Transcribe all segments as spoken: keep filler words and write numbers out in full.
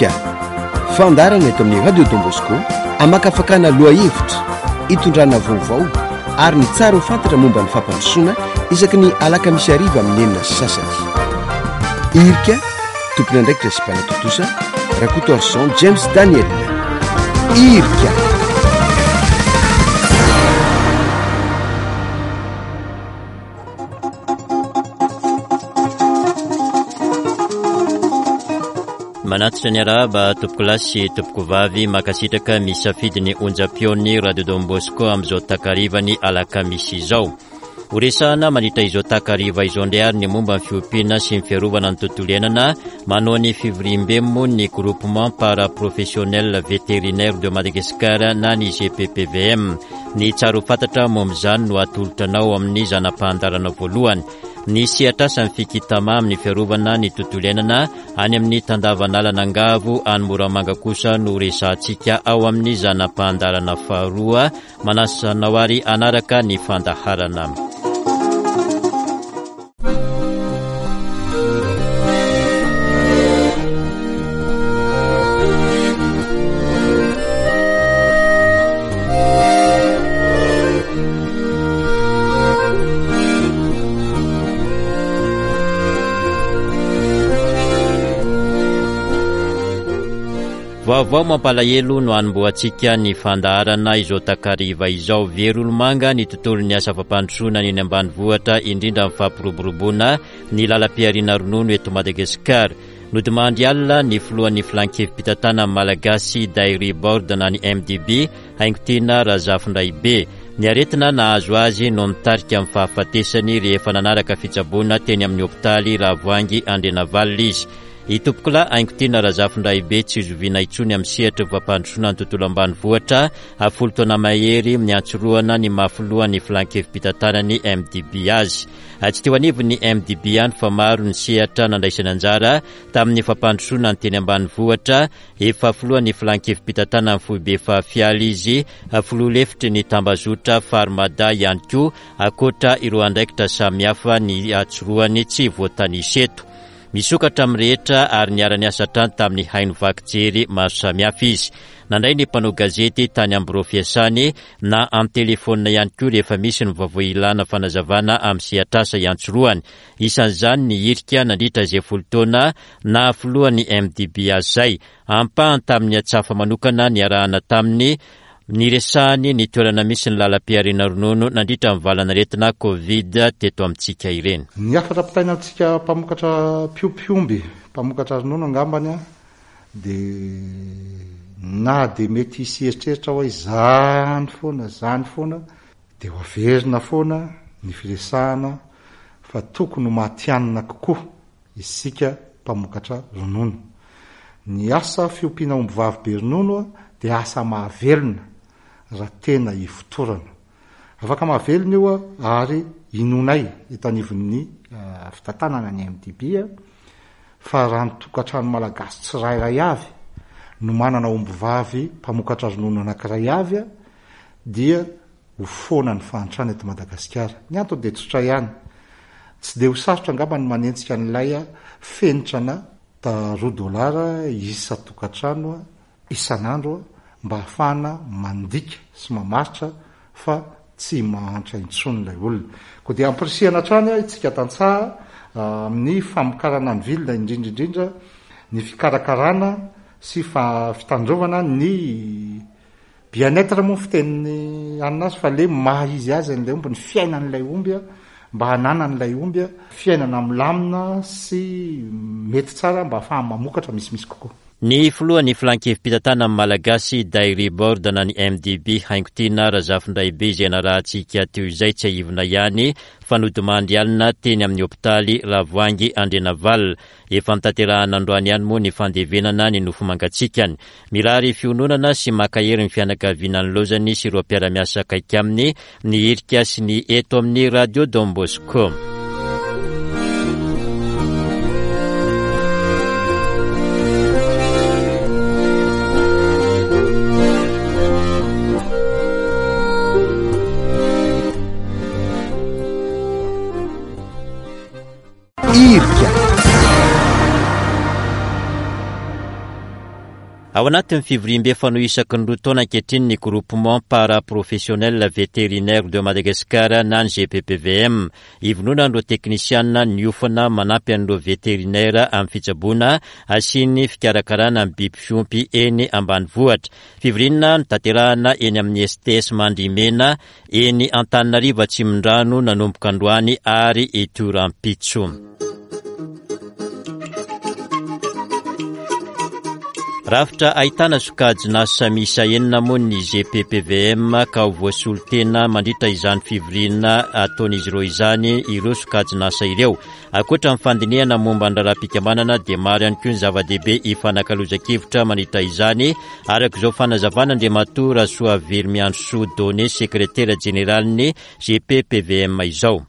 Irika, fandaharana eto amin'ny Radio Don Bosco hamakafakana lohahevitra, hitondrana vaovao ary ny tsara ho fantatra momba ny fampandrosoana isaky ny alakamisy hariva amin'ny enina sy sasany. Irika, tompon'andraikitra sy mpanatontosa, Rakotoarison James Daniel. Irika. Manatitra ny arahaba tompokolahy sy tompokovavy, mankasitraka misafidy ny onjam-peon'ny Radio Don Bosco amin'izao takarivany alakamisy izao. Horesahana mandritra izao takariva izao indray ary ny momba ny fiompiana sy ny fiarovana ny tontolo iainana, manao ny fivoriambe moa ny Groupement Paraprofessionnel Vétérinaire de Madagascar na ny G P P V M. Ny tsara ho fantatra momba izany no atolotra anao amin'ny zana-pahandarana voalohany. Ny sehatrasa ny fikitama amin'ny fiarovana ny tontolo iainana any amin'ny tandavan'alan'Angavo any Moramanga kosa no resahantsika ao amin'ny zana-pahandarana faharoa. Manasa anao ary hanaraka ny fandaharana. Vaovao mampalahelo no hanombohantsika ny fandaharana izao takariva izao. Very olomanga ny tontolon'ny asa fampandrosoana ny eny ambanivohitra, indrindra ny fampiroboroboana ny lalam-pihariana ronono eto Madagasikara. Nodimandry alina ny filohan'ny filan-kevi-pitantanana malagasy Dairy Board na ny M D B, Haingotiana Razafindraibe. Ny aretina nahazo azy no nitarika amin'ny fahafatesany rehefa nanaraka fitsaboana teny amin'ny hopitaly Ravoahangy Andrianavalona izy. Itompokolahy Haingotiana Razafindraibe tsy zoviana intsony amin'ny sehatry ny fampandrosoana ny tontolo ambanivohitra, folo taona mahery niantsorohana ny maha filohan'ny filan-kevi-pitantanany M D B azy. Tsy teo anivon'ny M D B ihany fa maro ny sehatra nandraisana anjara tamin'ny fampandrosoana ny teny ambanivohitra. Efa filohan'ny filan-kevi-pitantanany foibe fahafialy izy, filoha lefitry ny tambazotra Farmada ihany koa, ankoatra ireo andraikitra samihafa ny atsorohany tsy voatanisa eto. Misokatra amin'ny rehetra ary niara-niasa hatrany tamin'ny haino vaky jery maro samihafa izy. Nandray ny mpanao gazety tany amin'ny birao fiasany na amin'ny telefônina ihany koa rehefa misy ny vaovao ilana fanazavana amin'ny sehatrasa iantsorohany. Isan'izany ny hirika nandritra izay folo taona na filohan'ny M D B azy izay. Ampahany tamin'ny antsafa manokana niarahana taminy niresahany ny toerana misy ny lalam-pihariana ronono nandritra ny valanaretina Covid teto amintsika ireny. Ny hafatra ampitaina amintsika mpamokatra mpiompy omby, mpamokatra ronono angambany a, dia na dia mety hisy eritreritra hoe izany foana, izany foana, dia ho averina foana ny firesahana fa tokony ho matihanina kokoa isika mpamokatra ronono. Ny asa fiompiana ombivavy be ronono a, dia asa mahavelona raha tena ifotorana. Afaka mahavelona io a, ary inonay eto anivon'ny, eh, fitantanana ny M D B a, fa raha ny tokantrano malagasy tsirairay avy no manana ombivavy mpamokatra ronono anankiray avy a, dia ho foana ny fahantrana eto Madagasikara. Ny antony dia tsotra ihany. Tsy dia ho sarotra angamba ny manenjika an'ilay a, fenitrana ta roa dolara isan-tokantrano a, isan'andro a, mba ahafahana mandika sy mamaritra fa tsy mahantra intsony ilay olona. Koa dia ampirisihana hatrany a, isika tantsaha, ah, amin'ny famokarana ny vilona, indrindra indrindra ny fikarakarana sy fa-, fitandrovana ny bien-être moa fitenin'ny anina azy, fa le maha izy azy an'ilay omby, ny fiainan'ilay omby a, mba hananan'ilay omby a, fiainana milamina sy mety tsara mba ahafahany mamokatra misimisy kokoa. Ny filohan'ny filan-kevi-pitantanana malagasy Dairy Board na ny M D B Haingotiana Razafindraibe izay narahantsika teo izay tsy aivina ihany fa nodimandry alina teny amin'ny hopitaly Ravoahangy Andrianavalona. Efa notanterahana androany ihany moa ny fandevenana ny nofo mangatsiakany. Mirary fiononana sy mankahery ny fianakaviana ny lozany sy ireo mpiara-miasa akaiky aminy ny hirika sy ny eto amin'ny Radio Don Bosco. Irika. Ao anatin'ny fivoriambe fanao isaky ny roa taona ankehitriny ny Groupement Paraprofessionnel Vétérinaire de Madagascar na ny G P P V M. Ivondronan'ireo teknisianina niofana manampy an'ireo vétérinaire amin'ny fitsaboana sy ny fikarakarana ny biby fiompy eny ambanivohitra. Fivoriana notanterahana eny amin'ny S T S Mandrimena eny Antananarivo Atsimondrano nanomboka androany ary hitohy rahampitso. Rafitra ahitana sokajin'asa miisa enina moa ny G P P V M ka ho voasolo tena mandritra izany fivoriana ataon'izy ireo izany ireo sokajin'asa ireo. Ankoatra ny fandinihana momba ny raharaham-pikambanana dia maro ihany koa ny zava-dehibe ifanakalozan-kevitra mandritra izany, araka izao fanazavana Andriamatoa Rasoaveromiandrosoa Donné, sekretera jeneralin'ny G P P V M izao.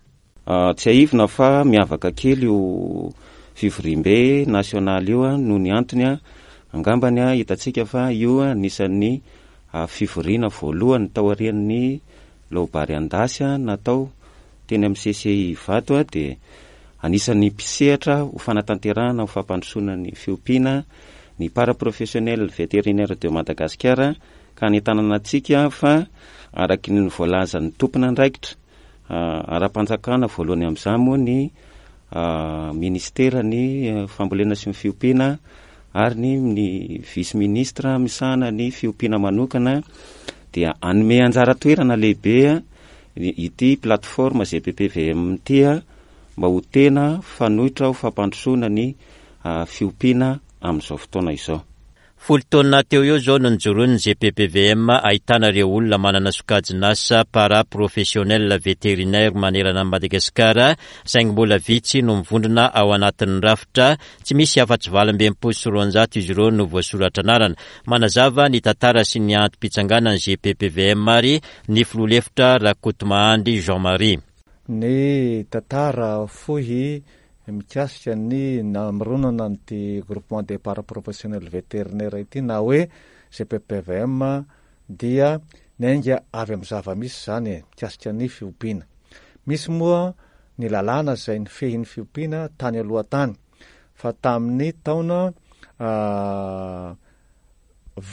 Tsiahivina fa miavaka kely io fivoriambe nasionaly io a noho ny antony a angambany a hitantsika fa io anisan'ny fivoriana voalohany taorian'ny laobary andasy a natao teny amin'ny C C I Ivato a dia anisan'ny mpisehatra ho fanatanterahana ho fampandrosoana ny fiompiana ny paraprofessionnel vétérinaire de Madagascar, ka anentanana antsika fa araky ny voalazan'ny tompona andraikitra ara-panjakana voalohany amin'izany moa ny ministera ny fambolena sy ny fiompiana ary ny ny vice ministre misahana ny fiompiana manokana dia anome anjara toerana lehibe ity plateforme G P P V M ity a mba ho tena fanoitra ho fampandrosoana ny fiompiana amin'izao fotoana izao. Folo taona teo eo zao no nijoroan'ny G P P V M, ahitana ireo olona manana sokajin'asa paraprofessionnel vétérinaire manerana Madagasikara, saingy mbola vitsy no mivondrona ao anatin'ny rafitra. Tsy misy afa-tsy valo amby enimpolo sy roanjato izy ireo no voasoratra anarana. Manazava ny tantara sy ny antom-pitsanganany G P P V M ary ny filoha lefitra Rakotomahandry Jean Marie. Ny tantara fohy mikasika ny namoronana nyty Groupement des paraprofessionnel vétérinaire ity na hoe G P P V M dia niainga avy amy zava-misy zany e mikasika ny fiompiana. Misy moa ny lalàna zay ny fehin'ny fiompiana tany aloha tany, fa tamin'ny taona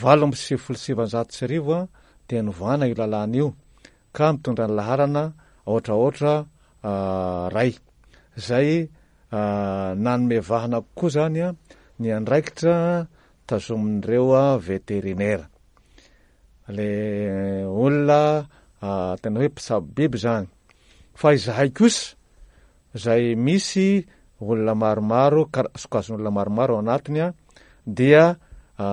valo amby sivifolo sivanjato sy arivo a dia novana io lalàna io ka mitondra ny laharana aotra aotra ray zay nanome vahana kokoa zany a ny andraikitra tazomin'ireo a vétérinaire, le olona tena hoe mpisabo biby zany. Fa izahay kosa zay misy olona maromaro, kara sokajin'olona maromaro ao anatiny a dia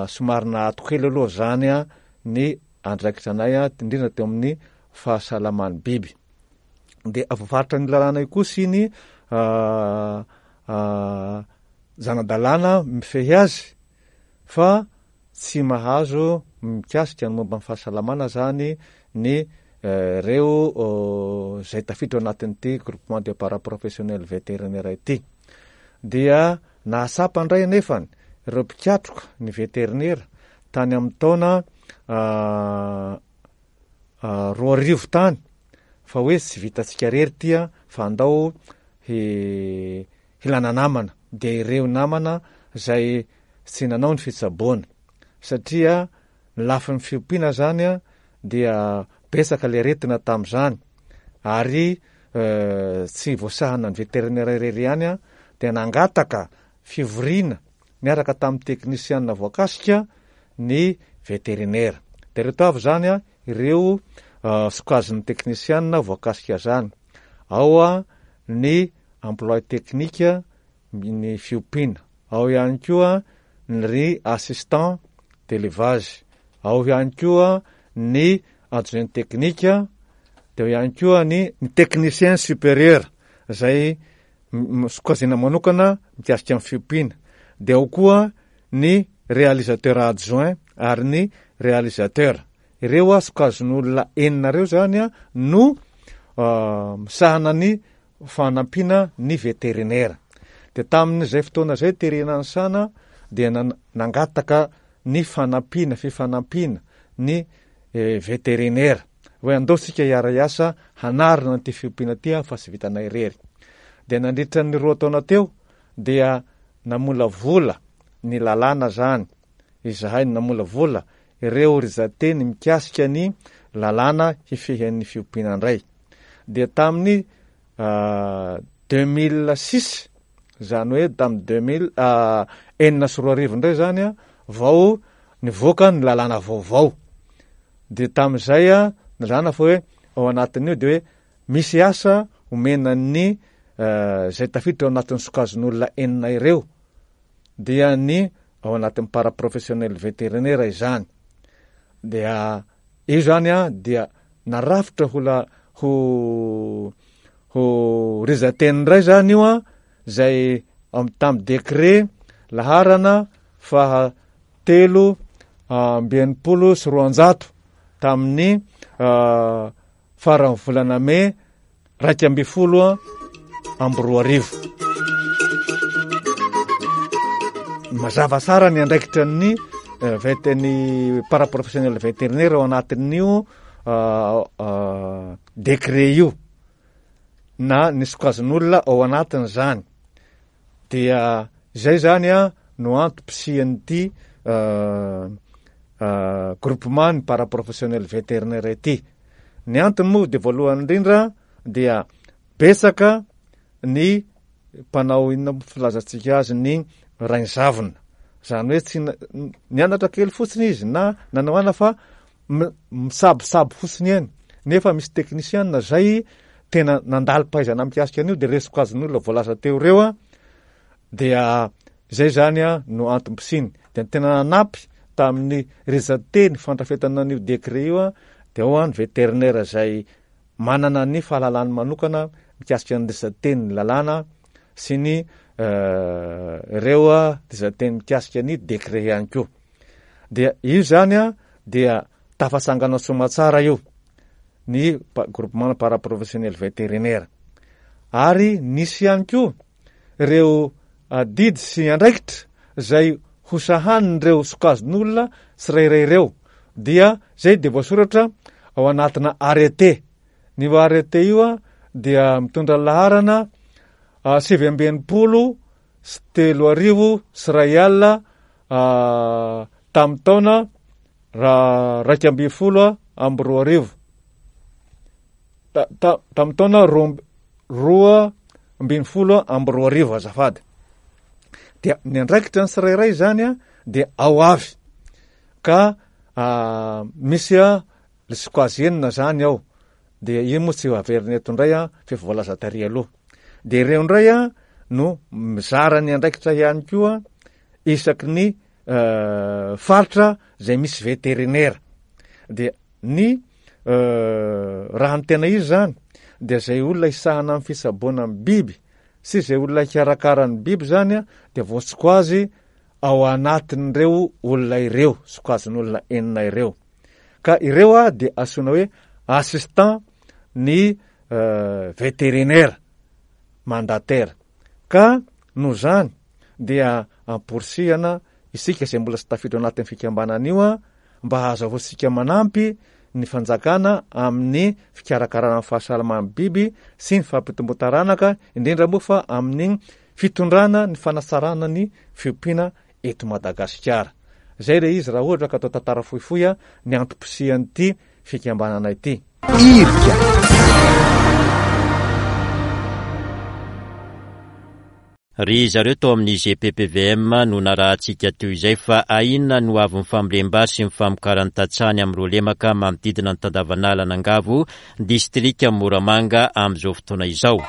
somary naato kely aloha zany a ny andraikitra anay a indrindra teo amin'ny fahasalaman'ny biby. De voafaritra ny lalàna io kosa iny zana-dalàna mifehy azy fa tsy mahazo mikasika ny momba ny fahasalamana zany ny reo zay tafiditra ao anatin'ity Groupement de paraprofessionnel vétérinaire ity. Dia nahatsapa indray anefany ireo mpikatroka ny vétérinaire tany amin'ny taona roa arivo tany fa hoe tsy vitantsika rery ty a fa andao hilana namana, de ireo namana zay tsy nanao ny fitsaboana, satria ny lafin'ny fiompiana zany a dia betsaka le aretina tam'izany ary tsy voasahana ny vétérinaire irery ihany a de nangataka fivoriana niaraka tamin'ny teknisianina voakasika ny vétérinaire. De reto avy zany a ireo sokajin'ny teknisianina voakasika zany: ao a ny employé technique ny fiompiana, ao ihany koa ny assistant d'élevage, ao ihany koa ny adjoint technique, de ao ihany koa ny ny technicien supérieur zay sokajina manokana mikasika amin'ny fiompiana, de ao koa ny réalisateur adjoint ary ny réalisateur. Ireo a sokajin'olona enina reo zany a no misahana ny fanampiana ny vétérinaire. De tamin'izay fotoana zay terena ny sana dia nangataka ny fanampiana, fifanampiana ny vétérinaire hoe andao sika hiara-hiasa hanarina nyty fiompiana ty a fa tsy vitanay irery. De nandritra ny roa taona teo dia namolavola ny lalàna zany izahay namolavola ireo rijan-teny mikasika ny lalàna hifehan'ny fiompiana indray. Dia tamin'ny deux mille six, izany hoe tamin'ny deux mille enina sy roa arivo indray zany a, vao nivoaka ny lalàna vaovao. Dia tamin'izay a, nilazana fa hoe ao anatin'io dia hoe misy asa omena ny izay tafiditra ao anatin'ny sokajin'olona enina ireo, dia ny ao anatin'ny paraprofessionnel vétérinaire izany. Dia io zany a, dia narafitra ho la, ho, ho rijan-teny indray zany io a, izay am-, tamin'ny décret laharana faha telo amby enimpolo sy roanjato tamin'ny faran'ny volana mey raika amby folo amby roa arivo. Mazava tsara ny andraikitra ny vet-, ny paraprofessionnel vétérinaire ao anatin'io décret io, na ny sokajin'olona ao anatin'izany. Dia izay zany a no antom-pisian'ity groupement ny paraprofessionnel vétérinaire ity. Ny antony moa dia voalohany indrindra dia betsaka ny mpanao inona moa filazantsika azy ny rain-javona. Izany hoe tsy na-, nianatra kely fotsiny izy na nanao ana fa mi-, misabosabo fotsiny ihany. Nefa misy teknisiana izay tena nandalo-pahaizana mikasika an'io, dia ireo sokajin'olona voalaza teo ireo a, dia izay zany a no antom-pisiany. Dia ny tena nanampy tamin'ny rijan-teny fandrafetana an'io décret io a, dia ao a ny vétérinaire izay manana ny fahalalany manokana mikasika ny rijan-teny lalàna sy ny ireo a rijan-teny mikasika ny décret ihany koa. Dia io zany a dia tafatsangana soamantsara io ny pa-, groupement paraprofessionnel vétérinaire. Ary nisy ihany koa ireo adidy sy andraikitra izay hosahanin'ireo sokajin'olona tsirairay ireo. Dia izay dia voasoratra ao anatina arrêté. Ny arrêté io a dia mitondra laharana sivy amby enimpolo sy telo arivo sy iray alina, tamin'ny taona ra-, raika ambin'ny folo amby roa arivo. Ta-, ta-, tamin'ny taona roa amby, roa ambin'ny folo amby roa arivo, azafady. Dia ny andraikitra ny tsirairay zany a dia ao avy. Ka, a, misy a le sokajy enina zany ao. Dia io moa tsy averina eto indray a, fa efa voalaza tary aloha. Dia ireo indray a no mizara ny andraikitra ihany koa isaky ny, eh, faritra izay misy vétérinaire. Dia ny, eh, raha ny tena izy zany dia izay olona hisahana amin'ny fitsaboana ny biby sy izay olona hikarakara ny biby zany a, dia voasokazy ao anatin'ireo olona ireo, sokajin'olona enina ireo. Ka ireo a dia antsoina hoe assistant ny, eh, vétérinaire mandataire. Ka noho izany dia amporisihana isika izay mbola tsy tafiditra ao anatin'ny fikambanana io a, mba hahazahoantsika manampy ny fanjakana amin'ny fikarakarana ny fahasalaman'ny biby sy ny fampitomboan-taranaka, indrindra moa fa amin'ny fitondrana ny fanatsarana ny fiompiana eto Madagasikara. Izay ilay izy raha ohatra ka atao tantara fohifohy a, ny antom-pisian'ity fikambanana ity. Irika. Ry zareo tao amin'ny G P P V M no narahantsika teo izay fa ahinona no avy ny fambolem-bary sy ny famokaran'ny tantsaha any amin'ireo lemaka manodidina ny tandavanala Anangavo, distrika Moramanga amin'izao fotoana izao.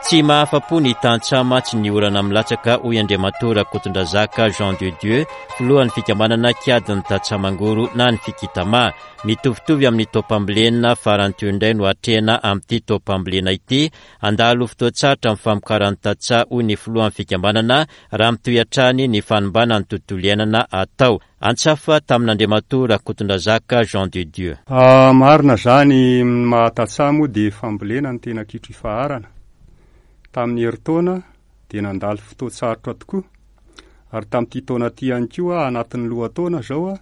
Tsy mahafa-po ny tantsaha mantsy ny orana milatsaka, hoy Andriamatoa Rakotondrazaka Jean de Dieu, filohan'ny fikambanana kiadin'ny tantsaha mangoro na ny Fikitama. Mitovitovy amin'ny taom-pambolena farany teo indray no atrehina amin'ity taom-pambolena ity. Handalo fotoan-tsarotra amin'ny famokaran'ny tantsaha, hoy ny filohan'ny fikambanana, raha mitohy hatrany ny fanimbana ny tontolo iainana atao. Antsafa tamin'Andriamatoa Rakotondrazaka Jean de Dieu. Ah, marina zany, maha-tantsaha moa dia fambolena ny tena kitro ifaharana. Tamin'ny herintaona dia nandalo fotoan-tsarotra tokoa, ary tamin'ity taona ity ihany koa anatin'ny lohataona zao a,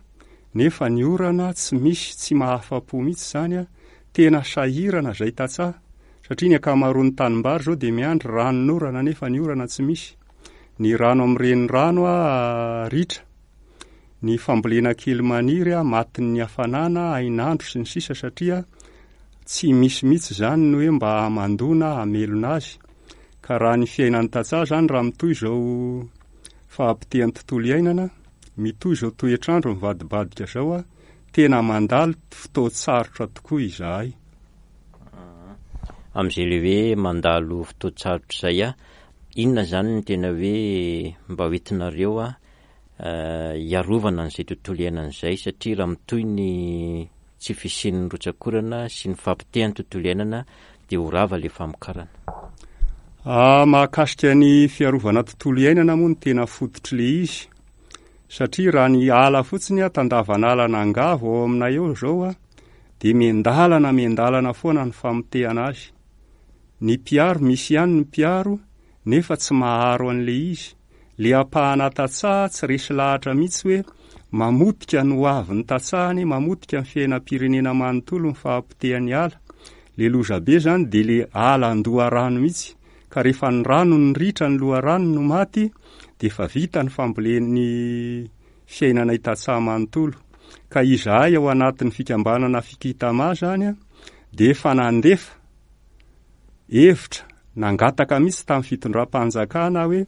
nefa ny orana tsy misy, tsy mahafa-po mihitsy zany a, tena sahirana zay tantsaha, satria ny ankamaroan'ny tanimbary zao dia miandry ranon'orana nefa ny orana tsy misy. Ny rano amin'ny renirano ritra. Ny fambolena kely maniry matin'ny hafanana, hainandro sy ny sisa satria tsy misy mihitsy izany ny hoe mba hamandoana hamelona azy. Ka raha ny fiainan'ny tantsaha izany raha mitohy izao fahapotehan'ny tontolo iainana, mitohy izao toetr'andro mivadibadika izao, tena mandalo fotoan-tsarotra tokoa izahay. Amin'izay le hoe mandalo fotoan-tsarotra izay, inona izany no tena hoe mba hoentinareo hiarovana an'izay tontolo iainana izay, satria raha mitohy ny tsy fisian'ny rotsak'orana sy ny fahapotehan'ny tontolo iainana dia ho rava ilay famokarana. Ah, mahakasika ny fiarovana tontolo iainana moa no tena fototr'ilay izy, satria raha ny ala fotsiny a, tandavan'ala nangavo ao aminay eo izao a, dia miandalana miandalana foana ny famotehana azy. Ny mpiaro, misy ihany ny mpiaro, nefa tsy maharo an'ilay izy. Le ampahana tantsaha tsy resy lahatra mihitsy hoe mamotika ny hoavin'ny tantsahany, mamotika ny fiainam-pirenena manontolo ny fahapotehan'ny ala. Le lozabe zany dia le ala an-doharano mihitsy, ka rehefa ny rano no ritra ny loharano no maty, dia efa vita ny fambolen'ny fiainanay tantsaha manontolo. Ka izahay ao anatin'ny fikambanana Fikitama zany dia efa nandefa hevitra, nangataka mihitsy tamin'ny fitondram-panjakana hoe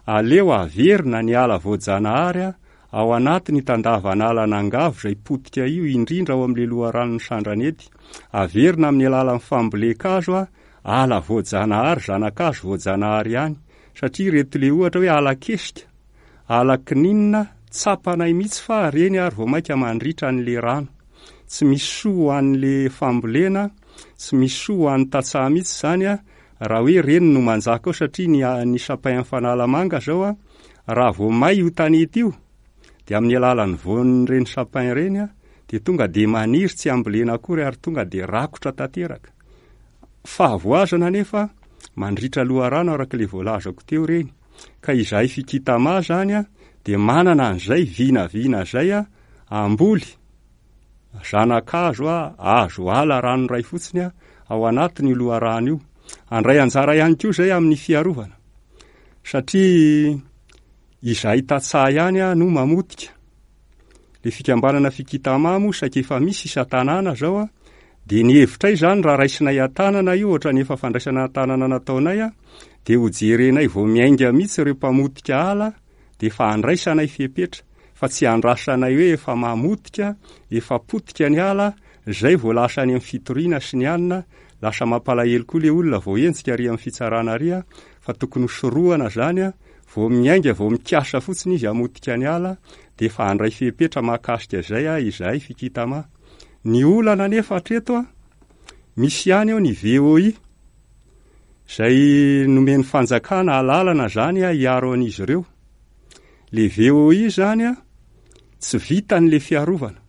aleo averina ny ala voajanahary ao anatin'ny tandavan'ala nangavo izay potika io, indrindra ao amin'ilay loharanon'ny Sandranety. Averina amin'ny alalan'ny fambolen-kazo ala voajanahary, zana-kazo voajanahary ihany, satria ireto le ohatra hoe ala kesika, ala kininina, tsapanay mihitsy fa reny ary vao mainka mandritra an'le rano. Tsy misy soa ho an'le fambolena, tsy misy soa ho an'ny tantsaha mihitsy zany a, raha hoe reny no manjaka ao, satria ny, ny sapin Fanalamanga zao a, raha vao may io tanety io, dia amin'ny alalan'ny voan'ireny sapin ireny a, dia tonga dia maniry tsy ambolena akory ary tonga dia rakotra tanteraka. Fahavoazana nefa mandritra loharano araka ilay voalazako teo ireny. Ka izahay Fikitama zany a, dia manana an'izay vinavina izay a, amboly zanakazo a, azo ala rano iray fotsiny a, ao anatin'io loharano io. Andray anjara ihany koa izay amin'ny fiarovana, satria izahay tantsaha ihany a no mamotika. Le fikambanana Fikitama moa saika efa misy isan-tanàna zao a, dia ny hevitray zany raha raisinay an-tanana io, ohatran'ny efa fandraisana an-tanana nataonay a, dia ho jerenay vao miainga mihitsy ireo mpamotika ala, dia efa andraisanay fepetra, fa tsy andrasanay hoe efa mamotika, efa potika ny ala, zay vao lasa any amin'ny fitoriana sy ny anina, lasa mampalahelo koa le olona vao henjika ary amin'ny fitsarana ary a, fa tokony hosorohana zany a, vao miainga, vao mikasa fotsiny izy hamotika ny ala, dia efa handray fepetra mahakasika izay a, izahay Fikitama. Ny olana nefa hatreto a, misy ihany eo ny V O I, izay nomen'ny fanjakana alalana zany a, hiaro an'izy ireo. Le V O I zany a, tsy vitan'le fiarovana.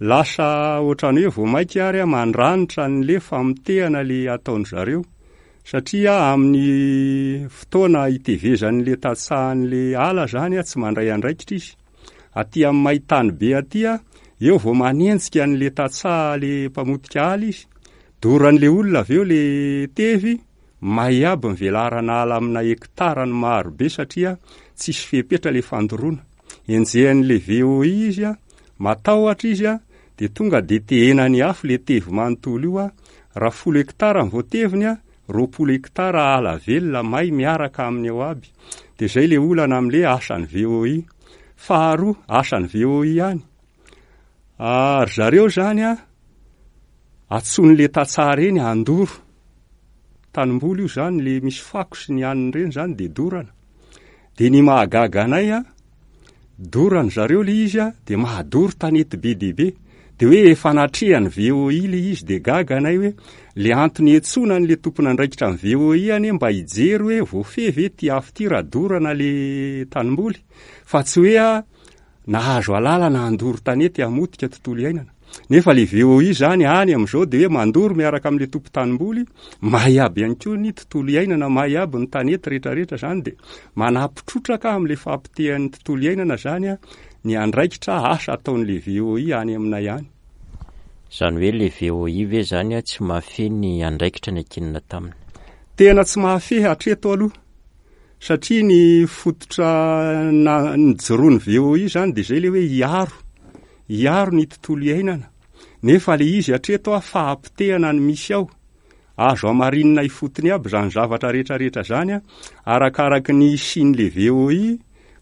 Lasa ohatran'ny hoe vao mainka ary a, mandranitra an'le famotehana le ataon-dry zareo, satria amin'ny fotoana itevezan'le tantsahan'le ala zany a, tsy mandray andraikitra izy. Aty amin'ny maitany be aty a, eo vao manenjika an'le tantsaha le mpamotika ala izy, doran'le olona avy eo le tevy, may aby ny velarana ala amina hektarany maro be satria tsisy fepetra le fandoroana. Enjehan'le V O I izy a, matahotra izy a, dia tonga dia tehenany afo le tevy manontolo io a, raha folo hektara ny voateviny a, roapolo hektara ala velona may miaraka aminy ao aby. Dia zay le olana amin'le asan'ny V O I. Faharoa, asan'ny V O I ihany. Ah, ry zareo zany a, antsoin'le tantsaha reny handoro. Tanimboly io zany, le misy fako sy ny hanina ireny zany dia dorana. Dia ny mahagaga anay a, dorany zareo le izy a, dia mahadoro tanety be dia be. Dia hoe efa natrehan'ny V O I le izy, dia gaga anay hoe le antony iantsoana an'le tompon'andraikitra amin'ny V O I anie mba hijery hoe voafehy ve ty afo ty raha dorana le tanimboly, fa tsy hoe a nahazo alalana handoro tanety hamotika tontolo iainana. Nefa le V O I zany any amin'izao dia hoe mandoro miaraka amin'le tompon-tanimboly, may aby ihany koa ny tontolo iainana, may aby ny tanety rehetrarehetra zany, dia manapitrotraka amin'le fahapotehan'ny tontolo iainana zany a, ny andraikitra asa ataon'le V O I any aminay any. Zany hoe le V O I ve zany a tsy mahafehy ny andraikitra ny ankinina taminy? Tena tsy mahafehy hatreto aloha, Satria ny fototra na nijoroan'ny V O I zany de zay le hoe hiaro, hiaro ny tontolo iainana. Nefa le izy hatreto a fahapotehana ny misy ao. Azo hamarinina ifotony aby zany zavatra rehetrarehetra zany a, arakaraky ny hisian'le V O I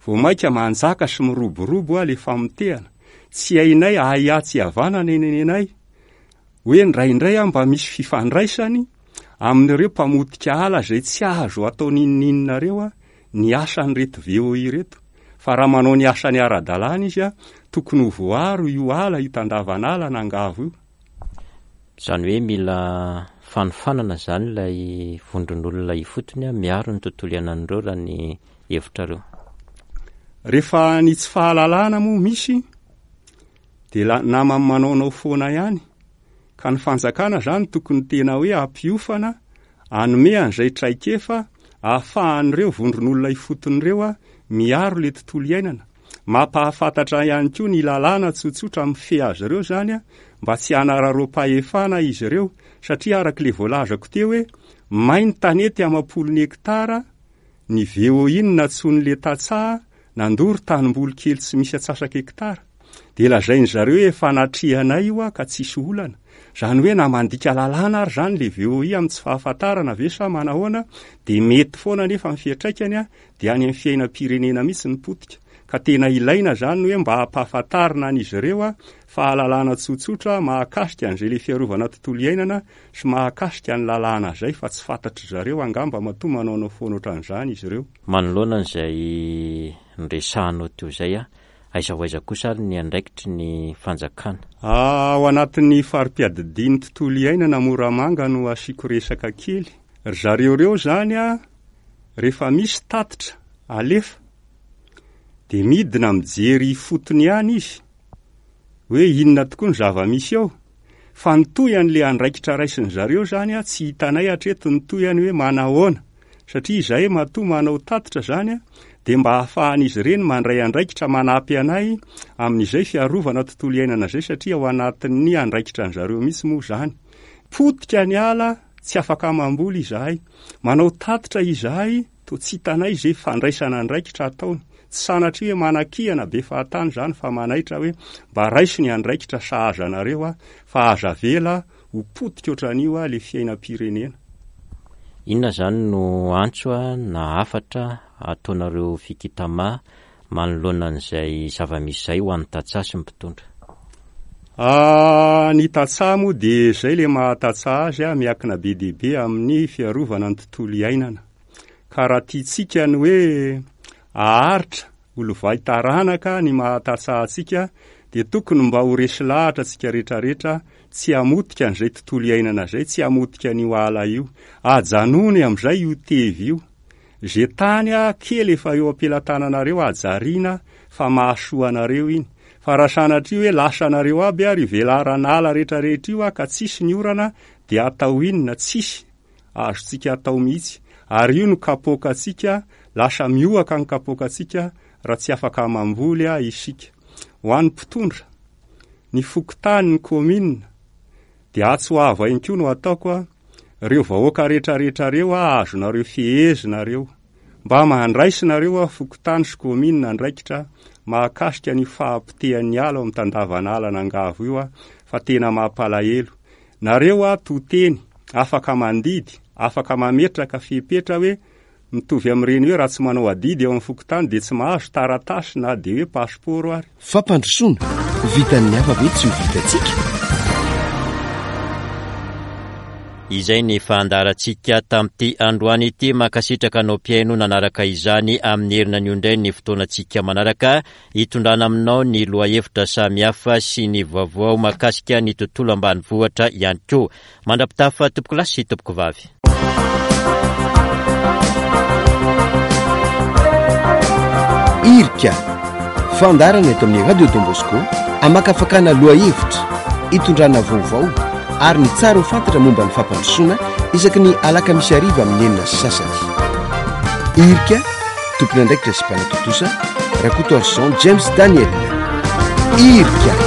vao mainka manjaka sy miroborobo a le famotehana. Tsy hainay ahiahy tsy havanana nenenenay hoe indraindray a mba misy fifandraisany amin'ireo mpamotika ala izay tsy azo atao n'inon'inona reo a ny asan'ireto V O I reto. Fa raha manao ny asany ara-dalàna izy a, tokony ho voaro io ala io tandavan'ala nangavo io. Izany hoe mila fanofanana zany ilay vondron'olona ifotony a, miaro ny tontolo iainan'ireo raha ny hevitrareo. Rehefa ny tsy fahalalana moa misy de la-, namany manaonao foana ihany. Ka ny fanjakana zany tokony tena hoe ampiofana, anome an'izay traikefa ahafahan'ireo vondron'olona ifotony ireo a miaro le tontolo iainana. Mampahafantatra ihany koa ny lalàna tsotsotra mifehy azy ireo zany a, mba tsy hanararaom-pahefana izy ireo, satria araka le voalazako teo hoe may ny tanety amam-polony hektara, ny V O I no nantsoin'le tantsaha nandoro tanimboly kely tsy misy atsasaka hektara. De lazainy zareo hoe efa natrihanay io a ka tsisy olana. Zany hoe na mandika lalàna ary zany le V O I amin'ny tsy fahafantarana ve sa manahoana, de mety foana nefa ny fiantraikany a, de any amin'ny fiainam-pirenena mihitsy ny potika. Ka tena ilaina zany hoe mba hampahafantarina an'izy ireo a, fahalalana tsotsotra mahakasika an'izay le fiarovana tontolo iainana sy mahakasika ny lalàna zay, fa tsy fantatry zareo angamba matoa manaonao foana ohatran'izany izy ireo. Manoloana an'izay noresahanao teo izay a, aiza ho aiza kosa ary ny andraikitry ny fanjakana? Ao anatin'ny fari-piadidian'ny tontolo iainana Moramanga no asiako resaka kely. Ry zareo ireo zany a, rehefa misy tatitra alefa, de midina mijery ifotony ihany izy hoe inona tokoa ny zava-misy eo. Fa ny tohiny andraikitra raisin'ny zareo zany a, tsy hitanay hatreto ny tohiny hoe manahoana. Satria izahay matoa manao tatitra zany a, de mba ahafahan'izy ireny mandray andraikitra manampy anay amin'izay fiarovana tontolo iainana izay, satria ao anatin'ny andraikitra an'zareo mihitsy moa zany. Potika ny ala, tsy afaka mamboly izahay. Manao tatitra izahay, to tsy hitanay izay fandraisana andraikitra ataony. Tsy sanatria hoe manakihana be fahatany zany, fa manaitra hoe mba raiso ny andraikitra sahaza anareo a, fa aza avela ho potika ohatran'io a le fiainam-pirenena. Inona zany no antso a na hafatra ataonareo Fikitama manoloana an'izay zava-misy izay ho an'ny tantsaha sy ny mpitondra? Ah, ny tantsaha moa de zay le mahatantsaha azy a, miankina be dia be amin'ny fiarovana ny tontolo iainana. Ka raha tiantsika ny hoe aharitra ho lovay taranaka ny mahatantsaha antsika, de tokony mba ho resy lahatra antsika rehetrarehetra, tsy hamotika an'izay tontolo iainana izay, tsy hamotika an'io ala io. Ajanony amin'izay io tevy io. Zay tany a kely efa eo am-pelatananareo hajariana fa mahasoa anareo iny. Fa raha sanatria hoe lasa anareo aby ary velaran'ala rehetrarehetra io a ka tsisy ny orana, de atao inona? Tsisy azontsika atao mihitsy. Ary io no kapoakantsika, lasa miohaka ny kapoakantsika raha tsy afaka mamboly a isika. Ho an'ny mpitondra, ny fokontany, ny komina, de atsy ho avo ihany koa no ataoko a, reo vahoaka rehetrarehetra reo a, azonareo fehezinareo. Mba mandraisinareo a fokontany sy komina andraikitra mahakasika ny fahapotehan'ny ala ao amin'ny tandavan'ala nangavo io a, fa tena mampalahelo. Nareo a to teny, afaka mandidy, afaka mametraka fepetra hoe mitovy amin'ireny hoe raha tsy manao adidy eo amin'ny fokontany de tsy mahazo taratasy na de hoe passeport ary. Fampandrosoana, vitan'ny hafa ve tsy ho vitantsika? Izay ny fandaharantsika tamin'ity androany ity. Mankasitraka anao mpihaino nanaraka izany amin'ny herina anio indray ny fotoanantsika manaraka hitondrana aminao ny lohahevitra samihafa sy ny vaovao mahakasika ny tontolo ambanivohitra ihany koa. Mandra-pitafa tompoko lahy sy tompoko vavy. Irika, fandaharana eto amin'ny Radio Don Bosco, amakafakana lohahevitra, hitondrana vaovao ary ny tsara ho fantatra momba ny fampandrosoana isaky ny alakamisy hariva amin'ny enina sy sasany. Irika, tompon'andraikitra sy mpanatontosa, Rakotoarison James Daniel. Irika.